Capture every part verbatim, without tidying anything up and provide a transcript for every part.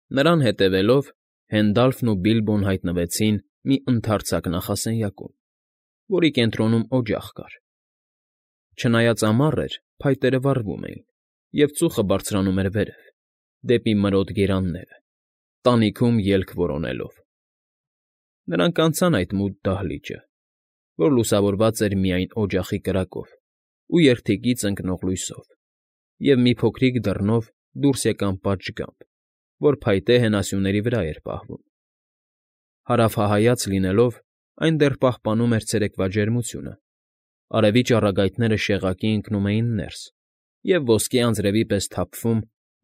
Նրան հետևելով՝ Հենդալֆն ու Բիլբոն հայտնվեցին մի ընդարձակ նախասենյակում, որի կենտրոնում օջախ կար. չնայած ամառ էր, փայտերը վառվում էին, և ծուխը բարձրանում էր վերև, դեպի մրոտ գերանները, տանիքում ելք որոնելով։ Նրանք անցան այդ մութ դահլիճը, որ լուսավորված էր միայն օջախի կրակով ու երդիկից ընկնող լույսով, և մի փոքրիկ դռնով դուրս եկան պատշգամբ, որ փայտե հենասյուների վրա էր պահվում։ Հարավահայց լինելով, այն դեռ պահպանում էր ցերեկվա ջերմությունը, արևի ճառագայթները շեղակի ընկնում էին ներս և ոսկե անձրևի պես թափվում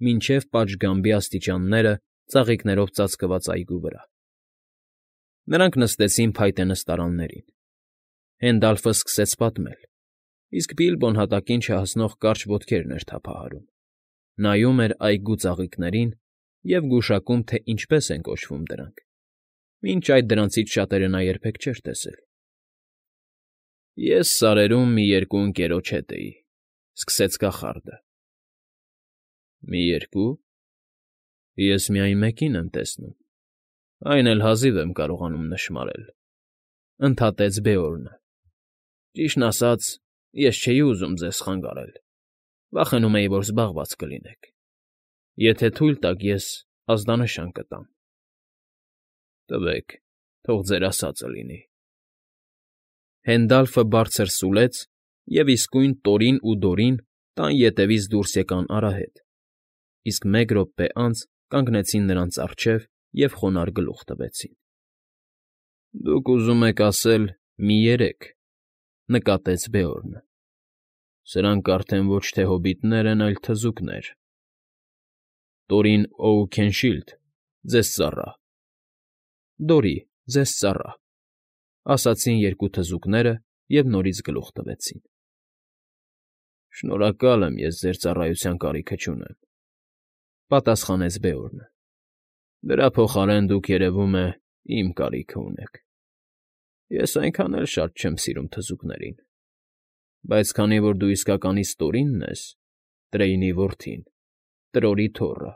մինչև պատշգամբի աստիճանները ծաղիկներով ծածկված այգու վրա։ Նրանք նստեցին փայտե նստարաններին։ Հենդալֆը սկսեց պատմել, իսկ Բիլբոն հատակին չհասնող կարճ ոտքերն էր թափահարում, նայում էր այգու ծաղիկներին և գուշակում, թե ինչպես են կոչվում դրանք. մինչ այդ դրանցից շատերը նա երբեք չէր տեսել։ Ես սարերում մի երկու ընկերոջ հետ էի,֊ սկսեց կախարդը։ ֊ Մի երկո՞ւ… Ես միայն մեկին եմ տեսնում, այն էլ հազիվ եմ կարողանում նշմարել,֊ ընդհատեց Բեորնը։ Ճիշտն ասած, ես չէի ուզում ձեզ խանգարել, վախենում էի, որ զբաղված կլինեք։ Եթե թույլ տաք, ես ազդանշան կտամ։ ֊ Տվեք, թող ձեր ասածը լինի։ Հենդալֆը բարձր սուլեց, և իսկույն Տորին ու Դորին տան ետևից դուրս եկան արահետ, իսկ մեկ րոպե անց կանգնեցին նրանց առջև և խոնարհ գլուխ տվեցին։ ֊ Դուք ուզում եք ասել «մի երեք», ֊ նկատեց Բեորնը։ Սրանք արդեն ոչ թե հոբիտներ են, այլ թզուկներ։ Տորին Օուքենշիլդ, ձեզ ծառա։ ֊ Դորի, ձեզ ծառա, ֊ ասացին երկու թզուկները և նորից գլուխ տվեցին։ ֊ Շնորհակալ եմ, ես ձեր ծառայության կարիքը չունեմ,֊ պատասխանեց Բեորնը։ Դրա փոխարեն դուք, երևում է, իմ կարիքը ունեք։ Ես այնքան էլ շատ չեմ սիրում թզուկներին, բայց քանի որ դու իսկականից Տորինն ես, Տրեյնի որդին, Տրորի թոռը,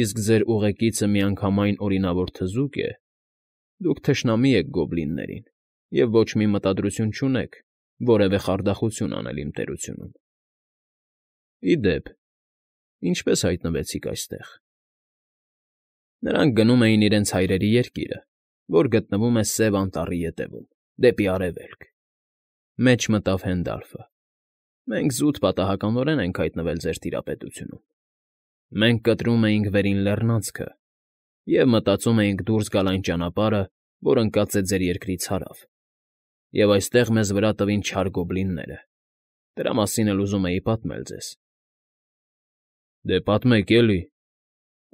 իսկ ձեր ուղեկիցը միանգամայն օրինավոր թզուկ է, դուք թշնամի եք գոբլիններին և ոչ մի մտադրություն չունեք որևէ խարդախություն անել իմ տերությունում։ Ի դեպ, ինչպե՞ս հայտնվեցիք այստեղ։ ֊ Նրանք գնում էին իրենց հայրերի երկիրը, որ գտնվում է Սև Անտառի ետևում, դեպի արևելք,֊ մեջ մտավ Հենդալֆը։ Մենք զուտ պատահականորեն ենք հայտնվել ձեր տիրապետությունում։ Մենք կտրում էինք Վերին Լեռնանցքը և մտածում էինք դուրս գալ այն ճանապարհը, որ ընկած է ձեր երկրից հարավ, և այստեղ մեզ վրա տվին չար գոբլինները։ Դրա մասին էլ ուզում էի պատմել ձեզ։ ֊ Դե պատմեք, էլի,֊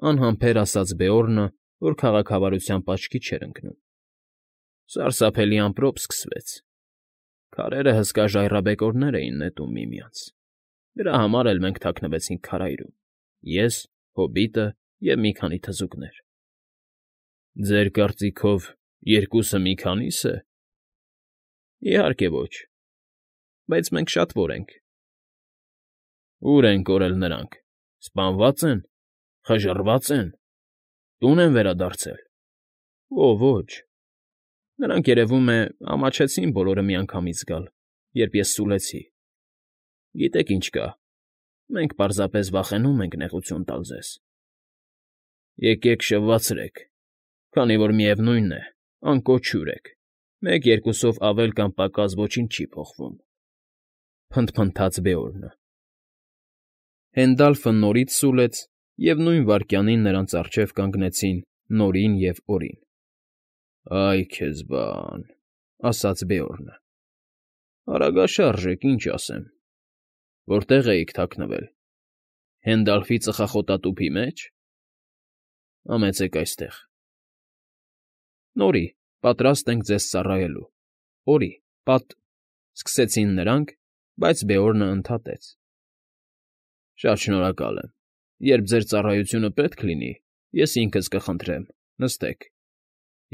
անհամբեր ասաց Բեորնը, որ քաղաքավարությամբ աչքի չէր ընկնում։ Սարսափելի ամպրոպ սկսվեց։ Քարերը հսկա ժայռաբեկորներ էին նետում միմյանց։ Դրա համար էլ մենք թաքնվեցինք քարայրում՝ ես, հոբիտը և մի քանի թզուկներ։ ֊ Ձեր կարծիքով երկուսը մի քանի՞ս է։ ֊ Իհարկե ոչ, բայց մենք շատվոր ենք։ ֊ Ո՞ւր են կորել նրանք, սպանվա՞ծ են, խժռվա՞ծ են, տո՞ւն են վերադարձել։ ֊ Օ, ոչ, նրանք, երևում է, ամաչեցին բոլորը միանգամից գալ, երբ ես սուլեցի։ Գիտեք ինչ կա, մենք պարզապես վախենում ենք նեղություն տալ ձեզ։ Եկեք շվվացրեք, քանի որ, միևնույն է, անկոչ հյուր եք, մեկ֊երկուսով ավել կամ պակաս ոչինչ չի փոխվում,֊ փնթփնթաց Բեորնը։ Հենդալֆը նորից սուլեց, և նույն վայրկյանին նրանց առջև կանգնեցին Նորին և Օրին։ ֊ Այ քեզ բան,֊ ասաց Բեորնը։ ֊ Արագաշարժ եք, ինչ ասեմ։ Որտե՞ղ էիք թաքնվել, Հենդալֆի ծխախոտատութի մե՞ջ։ ֊ Համեցեք այստեղ։ ֊ Նորի, պատրաստ ենք ձեզ ծառայելու։ Օրի, պատ…֊ սկսեցին նրանք, բայց Բեորնը ընդհատեց. ֊ Շատ շնորհակալ եմ, երբ ձեր ծառայությունը պետք լինի, ես ինքս կխնդրեմ, նստեք,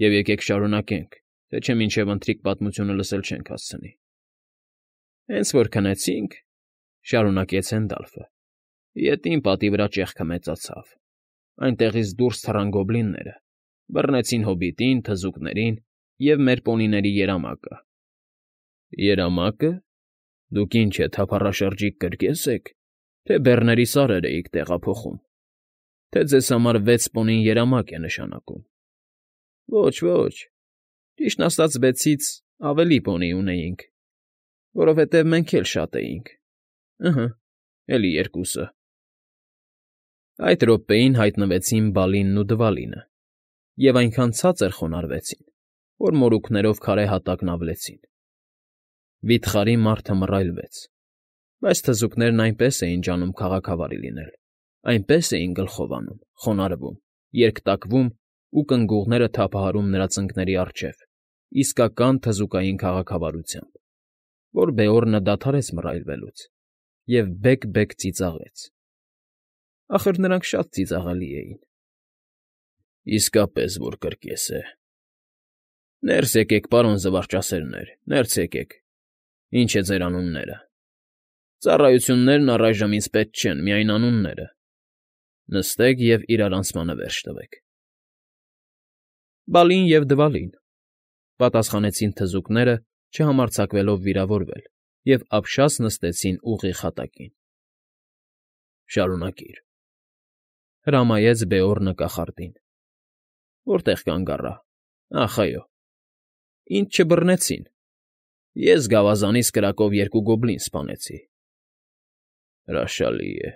և եկեք շարունակենք, թե չէ մինչև ընթրիք պատմությունը լսել չենք հասցնի։ ֊ Հենց որ քնեցինք,֊ շարունակեց Հենդալֆը,֊ ետին պատի վրա ճեղքը մեծացավ, այնտեղից դուրս թռան գոբլինները, բռնեցին հոբիտին, թզուկներին և մեր պոնիների երամակը։ ֊ Երամա՞կը։ Դուք ինչ է, թափառաշրջիկ կրկե՞ս եք, թե բեռների սարեր էիք տեղափոխում, թե ձեզ համար վեց պոնին երամակ է նշանակում։ ֊ Ոչ, ոչ, ճիշտն ասած վեցից ավելի պոնի ունեինք, որովհետև մենք էլ շատ էինք, ըհը, էլի երկուսը… Այդ րոպեին հայտնվեցին Բալինն ու Դվալինը և այնքան ցածր խոնարհվեցին, որ մորուքներով քարե հատակն ավլեցին։ Վիթխարի մարդը մռայլվեց, բայց թզուկներն այնպես էին ջանում քաղաքավարի լինել, այնպես էին գլխով անում, խոնարհվում, երկատվում ու կնգուղները թափահարում նրա ծնկների առջև, իսկական թզուկային քաղաքավարությամբ, որ Բեորնը դադարեց մռայլվելուց և բեկ֊բեկ ծիծաղեց. ախր նրանք շատ ծիծաղելի էին։ ֊ Իսկապես որ կրկես է… Ներս եկեք, պարոն զվարճասերներ, ներս եկեք… Ինչ է ձեր անունները… Ծառայություններն առայժմ ինձ պետք չեն, միայն անունները… Նստեք և իրարանցմանը վերջ տվեք… ֊ Բալին և Դվալին,֊ պատասխանեցին թզուկները, չհամարձակվելով վիրավորվել, և ապշած նստեցին ուղիղ հատակին։ ֊ Շարունակիր,֊ հրամայեց Բեորնը կախարդին։ ֊ Որտե՞ղ կանգ առա… Ախ, այո… Ինձ չբռնեցին… Ես գավազանիս կրակով երկու գոբլին սպանեցի… Հրաշալի է,֊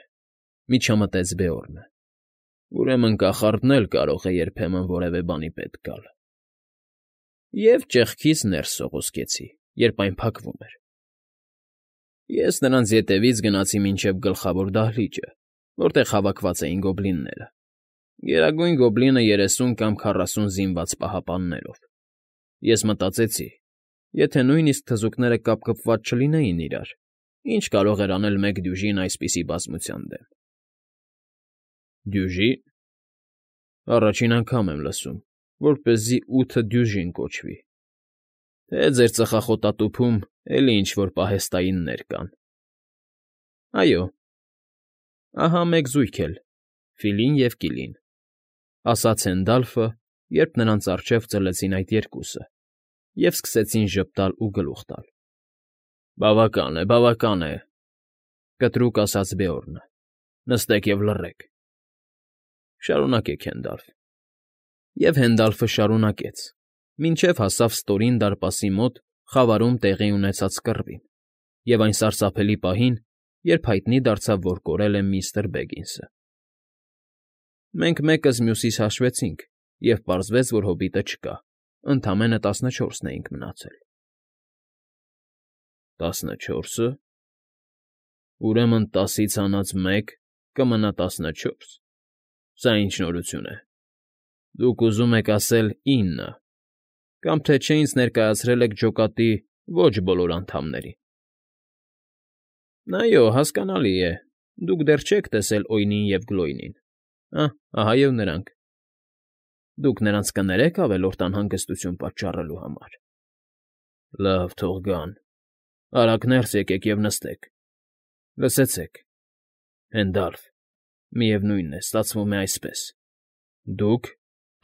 միջամտեց Բեորնը։ Ուրեմն կախարդն էլ կարող է երբեմն որևէ բանի պետք գալ… Եվ ճեղքից ներս սողոսկեցի, երբ այն փակվում էր… Ես նրանց ետևից գնացի մինչև գլխավոր դահլիճը, որտեղ հավաքված էին գոբլինները, Գերագույն Գոբլինը երեսուն կամ քառասուն զինված պահապաններով… Ես մտածեցի. եթե նույնիսկ թզուկները կապկպված չլինեին իրար, ինչ կարող էր անել մեկ դյուժին այսպիսի բազմության դեմ… ֊ Դյուժի՞ն… Առաջին անգամ եմ լսում, որպեսզի ութը դյուժին կոչվի… Թե ձեր ծխախոտատուփում էլի ինչ֊որ պահեստայիններ կան… ֊ Այո… Ահա մեկ զույգ էլ՝ Ֆիլին և Կիլին,֊ ասաց Հենդալֆը, երբ նրանց առջև ծլեցին այդ երկուսը և սկսեցին ժպտալ ու գլուխ տալ։ ֊ Բավական է, բավական է,֊ կտրուկ ասաց Բեորնը։֊ Նստեք և լռեք… Շարունակեք, Հենդալֆ… Եվ Հենդալֆը շարունակեց, մինչև հասավ ստորին դարպասի մոտ խավարում տեղի ունեցած կռվին և այն սարսափելի պահին, երբ հայտնի դարձավ, որ կորել է միստր Բեգինսը։ Մենք մեկս մյուսիս հաշվեցինք, և պարզվեց, որ հոբիտը չկա, ընդամենը տասնչորսն էինք մնացել։ ֊ Տասնչո՞րսը… Ուրեմն տասից հանած մեկ կմնա տասնչո՞րս… Սա ինչ նորություն է… Դուք ուզում եք ասել ինը, կամ թե չէ ինձ ներկայացրել եք ջոկատի ոչ բոլոր անդամներին… Այո, հասկանալի է, դուք դեռ չեք տեսել Օյնին և Գլոյնին… Ահ, ահա և նրանք… Դուք նրանց կներե՞ք ավելորդ անհանգստություն պատճառելու համար… Լավ, թող գան… Արագ ներս եկեք և նստեք… Լսեցեք, Հենդալֆ, միևնույն է, ստացվում է այսպես. դուք,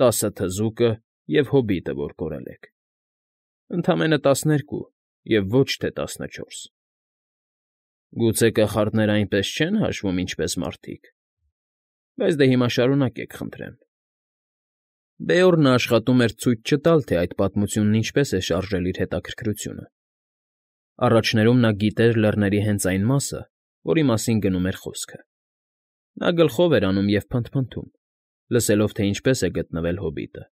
տասը թզուկը և հոբիտը, որ կորել եք… Ընդամենը տասներկու և ոչ թե տասնչորս… Գուցե կախարդները այնպես չեն հաշվում, ինչպես մարդիկ… Բայց դե հիմա շարունակեք, խնդրեմ… Բեորնը աշխատում էր ցույց չտալ, թե այդ պատմությունն ինչպես է շարժել իր հետաքրքրությունը… Առաջներում նա գիտեր լեռների հենց այն մասը, որի մասին գնում էր խոսքը… Նա գլխով էր անում և փնթփնթում, լսելով, թե ինչպես է գտնվել հոբիտը,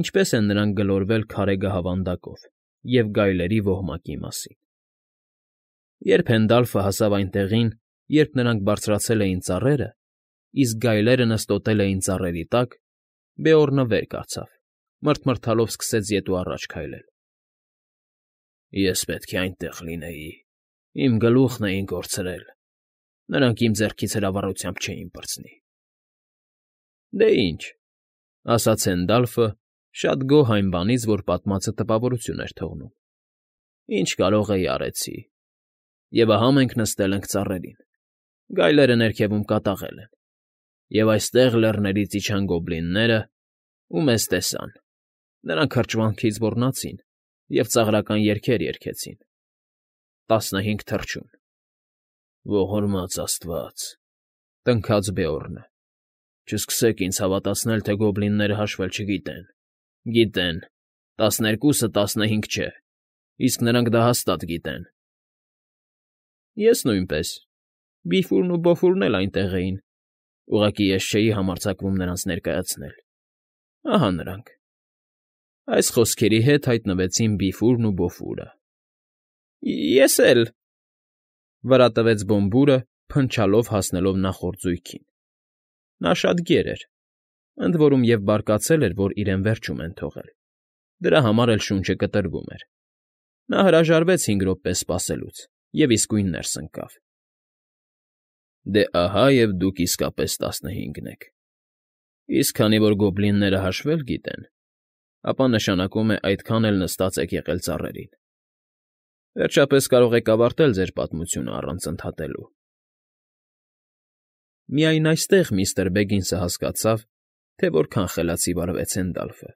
ինչպես են նրանք գլորվել քարե գահավանդակով և գայլերի ոհմակի մասին… Երբ Հենդալֆը հասավ այն տեղին, երբ նրանք բարձրացել էին ծառերը, իսկ գայլերը նստոտել էին ծառերի տակ, Բեորնը վեր կացավ, մռթմռթալով սկսեց ետ ու առաջ քայլել։ ֊ Ես պետք է այնտեղ լինեի, իմ գլուխն էին կորցրել, նրանք իմ ձեռքից հրավառությամբ չէին պրծնի… ֊ Դե ինչ,֊ ասաց Հենդալֆը, շատ գոհ այն բանից, որ պատմածը տպավորություն էր թողնում,֊ ինչ կարող էի, արեցի… Եվ ահա մենք նստել ենք ծառերին, գայլերը ներքևում կատաղել են… Եվ այստեղ լեռներից իջան գոբլինները ու մեզ տեսան. նրանք հրճվանքից ոռնացին և ծաղրական երգեր երգեցին. տասնհինգ թռչուն։ ֊ Ողորմած աստված,֊ տնքաց Բեորնը,֊ չսկսեք ինձ հավատացնել, թե գոբլինները հաշվել չգիտեն. գիտեն, տասներկուսը տասնհինգ չէ, իսկ նրանք դա հաստատ գիտեն։ ֊ Ես նույնպես, Բիֆուրն ու Բոֆուրն էլ այնտեղ էին, ուղղակի ես չէի համարձակվում նրանց ներկայացնել. ահա նրանք… Այս խոսքերի հետ հայտնվեցին Բիֆուրն ու Բոֆուրը։ ֊ Ես էլ,֊ վրա տվեց Բոմբուրը, փնչալով հասնելով նախորդ զույգին. նա շատ գեր էր, ընդ որում և բարկացել էր, որ իրեն վերջում են թողել, դրա համար էլ շունչը կտրվում էր։ Նա հրաժարվեց հինգ րոպե սպասելուց և իսկույն ներս ընկավ։ ֊ Դե ահա և դուք իսկապես տասնհինգն եք, իսկ քանի որ գոբլինները հաշվել գիտեն, ապա նշանակում է այդքան էլ նստած եք եղել ծառերին… Վերջապես կարող եք ավարտել ձեր պատմությունը առանց ընդհատելու… Միայն այստեղ միստր Բեգինսը հասկացավ, թե որքան խելացի վարվեց Հենդալֆը.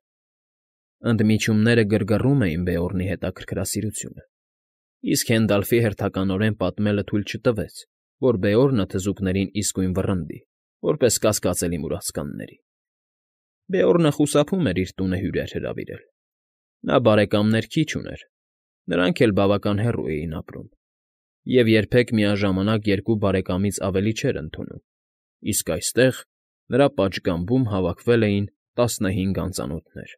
ընդմիջումները գրգռում էին Բեորնի հետաքրքրասիրությունը, իսկ Հենդալֆի հերթականորեն պատմելը թույլ չտվեց, որ Բեորնը թզուկներին իսկույն վռնդի, որպես կասկածելի մուրացկանների։ Բեորնը խուսափում էր իր տունը հյուրեր հրավիրել. նա բարեկամներ քիչ ուներ, նրանք էլ բավական հեռու էին ապրում, և երբեք միաժամանակ երկու բարեկամից ավելի չէր ընդունում, իսկ այստեղ, նրա պատշգամբում հավաքվել էին տասնհինգ անծանոթներ։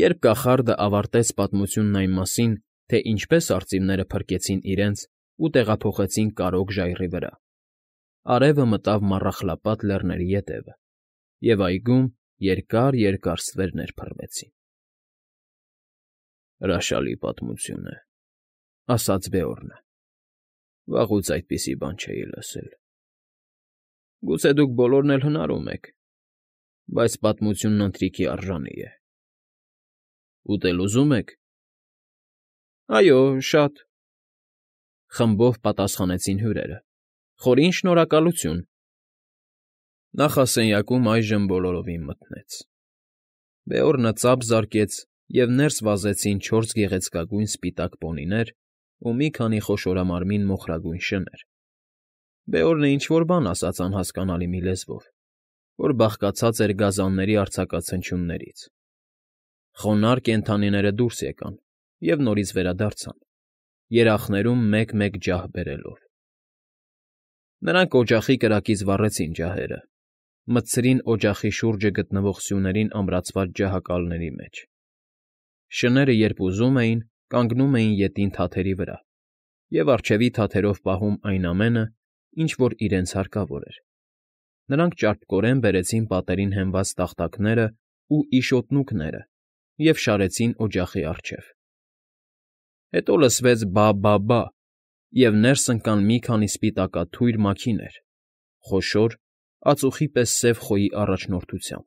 Երբ կախարդը ավարտեց պատմությունն այն մասին, թե ինչպես արծիվները փրկեցին իրենց ու տեղափոխեցին Կարրոկ ժայռի վրա, արևը մտավ Մառախլապատ Լեռների ետևը, և այգում երկար֊երկար ստվերներ փռվեցին։ ֊ Հրաշալի պատմություն է,֊ ասաց Բեորնը,֊ վաղուց այդպիսի բան չէի լսել։ ֊ Գուցե դուք բոլորն էլ հնարում եք, բայց պատմությունն ընթրիքի արժանի է։ ֊ Ուտել ուզում եք։ ֊ Այո, շատ,֊ խմբով պատասխանեցին հյուրերը։ ֊ Խորին շնորհակալություն։ Նախասենյակում այժմ բոլորովին մթնեց։ Բեորնը ծափ զարկեց, և ներս վազեցին չորս գեղեցկագույն սպիտակ պոնիներ ու մի քանի խոշորամարմին մոխրագույն շներ։ Բեորնը ինչ֊որ բան ասաց անհասկանալի մի լեզվով, որ բաղկացած էր գազանների արձակացնչյուններից։ Խոնարհ կենդանիները դուրս եկան և նորից վերադարձան, երախներում մեկ֊մեկ ջահ բերելով։ Նրանք օջախի կրակից վառեցին ջահերը, մտցրին օջախի շուրջը գտնվող սյուներին ամրացված ջահակալների մեջ։ Շները երբ ուզում էին, կանգնում էին ետին թաթերի վրա և առջևի թաթերով պահում այն ամենը, ինչ որ իրենց հարկավոր էր։ Նրանք ճարպկորեն բերեցին պատերին հենված տախտակներն ու իշոտնուկները և շարեցին օջախի առջև։ Հետո լսվեց բա՜֊բա՜֊բա՜, և ներս ընկան մի քանի սպիտակաթույր մաքիներ՝ խոշոր, ածուխի պես սև խոյի առաջնորդությամբ։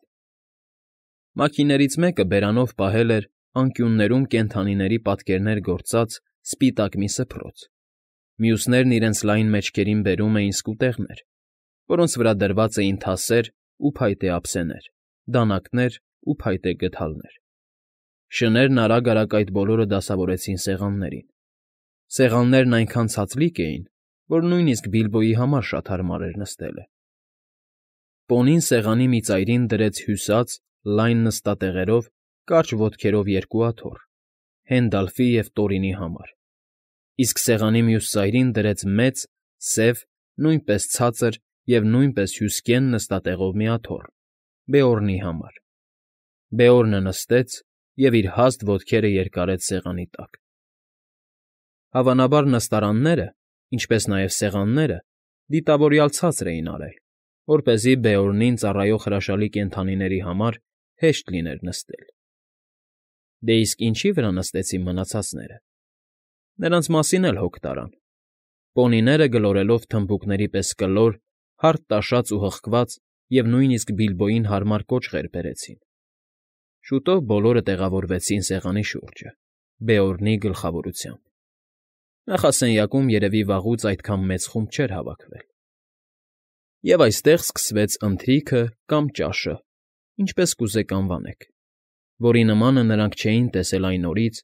Մաքիներից մեկը բերանով պահել էր անկյուններում կենդանիների պատկերներ գործած սպիտակ մի սփռոց, մյուսներն իրենց լայն մեջքերին բերում էին սկուտեղներ, որոնց վրա դրված էին թասեր ու փայտե ափսեներ, դանականեր ու փայտե գդալներ։ Շներն արագ֊արագ այդ բոլորը դասավորեցին սեղաններին։ Սեղաններն այնքան ցածլիկ էին, որ նույնիսկ Բիլբոյի համար շատ հարմար էր նստելը։ Պոնին սեղանի մի ծայրին դրեց հյուսած, լայն նստատեղերով, կարճ ոտքերով երկու աթոռ՝ Հենդալֆի և Տորինի համար, իսկ սեղանի մյուս ծայրին դրեց մեծ, սև, նույնպես ցածր և նույնպես հյուսկեն նստատեղով մի աթոռ՝ Բեորնի համար։ Բեորնը նստեց և իր հաստ ոտքերը երկարեց սեղանի տակ։ Հավանաբար նստարանները, ինչպես նաև սեղանները դիտավորյալ ցածր էին արել, որպեսզի Բեորնին ծառայող հրաշալի կենդանիների համար հեշտ լիներ նստել։ Դե իսկ ինչի՞ վրա նստեցին մնացածները։ Նրանց մասին էլ հոգ տարան։ Պոնիները գլորելով թմբուկների պես կլոր, հարթ տաշած ու հղկված և նույնիսկ Բիլբոյին հարմար կոճղեր բերեցին։ Շուտով բոլորը տեղավորվեցին սեղանի շուրջը, Բեորնի գլխավորությամբ։ Նախասենյակում երևի վաղուց այդքան մեծ խումբ չէր հավաքվել։ Եվ այստեղ սկսվեց ընթրիքը կամ ճաշը, ինչպես կուզեք անվանեք, որի նմանը նրանք չէին տեսել այն օրից,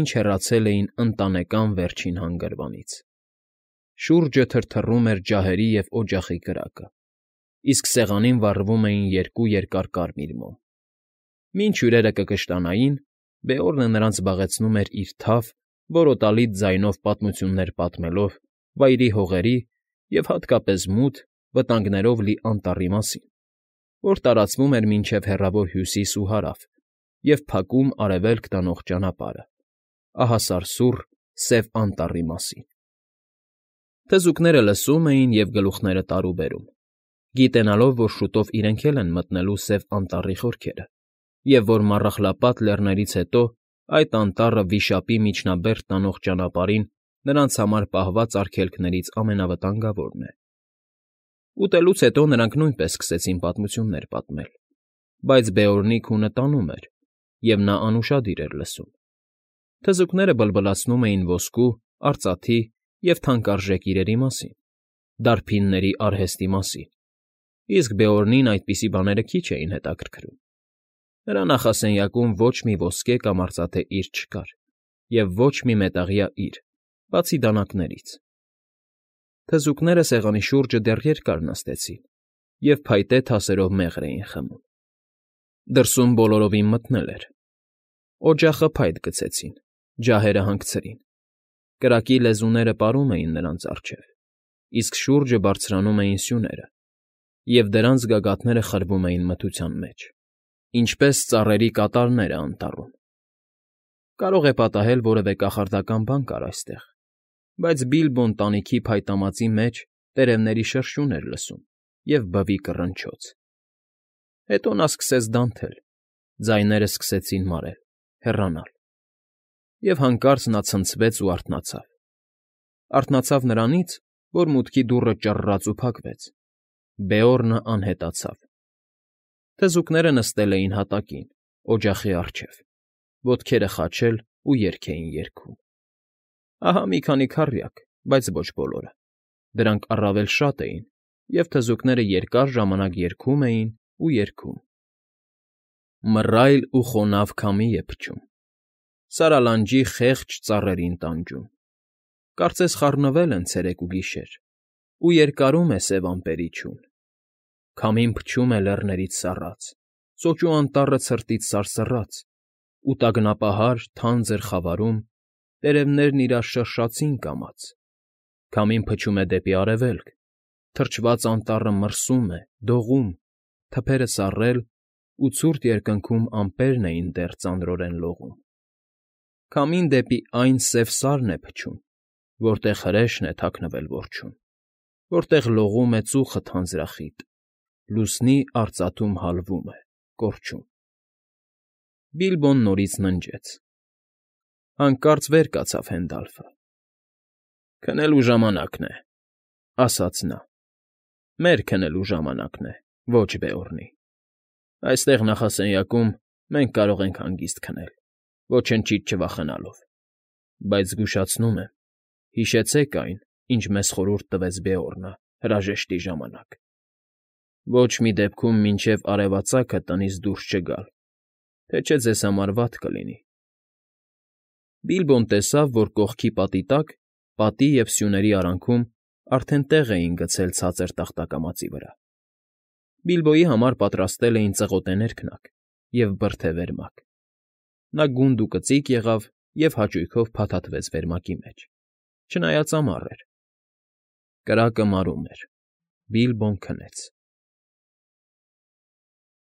ինչ հեռացել էին Ընտանեկան Վերջին Հանգրվանից. շուրջը թրթռում էր ջահերի և օջախի կրակը, իսկ սեղանին վառվում էին երկու երկար կարմիր մոմ։ Մինչ հյուրերը կկշտանային, Բեորնը նրանց զբաղեցնում էր իր թավ, որոտալից ձայնով պատմություններ պատմելով վայրի հողերի և հատկապես մութ, վտանգներով լի անտառի մասին, որ տարածվում էր մինչև հեռավոր Հյուսիս ու Հարավ և փակում Արևելք տանող ճանապարհը, ահասարսուռ Սև Անտառի մասին։ Թզուկները լսում էին և գլուխները տարուբերում, գիտենալով, որ շուտով իրենք էլ են մտնելու Սև Անտառի խորքերը, և որ Մառախլապատ Լեռներից հետո այդ անտառը Վիշապի միջնաբերդ տանող ճանապարհին նրանց համար պահված արգելքներից ամենավտանգավորն է։ Ուտելուց հետո նրանք նույնպես սկսեցին պատմություններ պատմել, բայց Բեորնի քունը տանում էր, և նա անուշադիր էր լսում։ Թզուկները բլբլացնում էին ոսկու, արծաթի և թանկարժեք իրերի մասին, դարբինների արհեստի մասին, իսկ Բեորնին այդպիսի բաները քիչ էին հետաքրքրում։ Նրա նախասենյակում ոչ մի ոսկե կամ արծաթե իր չկար և ոչ մի մետաղյա իր, բացի դանակներից։ Թզուկները սեղանի շուրջը դեռ երկար նստեցին և փայտե թասերով մեղր էին խմում։ Դրսում բոլորովին մթնել էր։ Օջախը փայտ գցեցին, ջահերը հանգցրին, կրակի լեզուները պարում էին նրանց առջև, իսկ շուրջը բարձրանում էին սյուները, և դրանց գագաթները խրվում էին մթության մեջ, ինչպես ծառերի կատարները անտառում։ Կարող է պատահել որևէ կախարդական բան կար այստեղ, բայց Բիլբոն տանիքի փայտամածի մեջ տերևների շրշյուն էր լսում և բվի կռնչոց։ Հետո նա սկսեց դանթել, ձայները սկսեցին մարել, հեռանալ, և հանկարծ նա ցնցվեց ու արթնացավ։ Արթնացավ նրանից, որ մուտքի դուռը ճռռաց ու փակվեց։ Բեորնը անհետացավ։ Թզուկները նստել էին հատակին, օջախի առջև, ոտքերը խաչել ու երգ էին երգում։ Ահա մի քանի քառյակ, բայց ոչ բոլորը. դրանք առավել շատ էին, և թզուկները երկար ժամանակ երգում էին ու երգում. Մռայլ ու խոնավ քամի է փչում, Սարալանջի խեղճ ծառերին տանջում, Կարծես խառնվել են ցերեկ ու գիշեր, Ու երկարում է սև ամպերի չուն։ Քամին փչում է լեռներից սառած, Սոճու անտառը ցրտից սարսռաց, Ու տագնապահար, թանձր խավարում Տերևներն իրար շրշացին կամաց։ Քամին փչում է դեպի արևելք, Թրջված անտառը մրսում է, դողում, Թփերը սառել, ու ցուրտ երկնքում Ամպերն էին դեռ ծանրորեն լողում։ Քամին դեպի այն սև սարն է փչում, Որտեղ հրեշն է թաքնվել որջում, Որտեղ լողում է ծուխը թանձրախիտ, Լուսնի արծաթում հալվում է, կորչում։ Բիլբոն նորից ննջեց։ Հանկարծ վեր կացավ Հենդալֆը։ ֊ Քնելու ժամանակն է, ֊ ասաց նա։ ֊ Մեր քնելու ժամանակն է, ոչ Բեորնի։ Այստեղ նախասենյակում մենք կարող ենք հանգիստ քնել, ոչնչից չվախենալով, բայց զգուշացնում եմ, հիշեցեք այն, ինչ մեզ խորհուրդ տվեց Բեորնը հրաժեշտի ժամանակ. ոչ մի դեպքում մինչև արևածագը տնից դուրս չգալ, թե չէ ձեզ համար վատ կլինի։ Բիլբոն տեսավ, որ կողքի պատի տակ, պատի և սյուների արանքում արդեն տեղ էին գցել ցածր տախտակամածի վրա։ Բիլբոյի համար պատրաստել էին ծղոտե ներքնակ և բրդե վերմակ։ Նա գունդ ու կծիկ եղավ և հաճույքով փաթաթվեց վերմակի մեջ, չնայած ամառ էր։ Կրակը մարում էր։ Բիլբոն քնեց։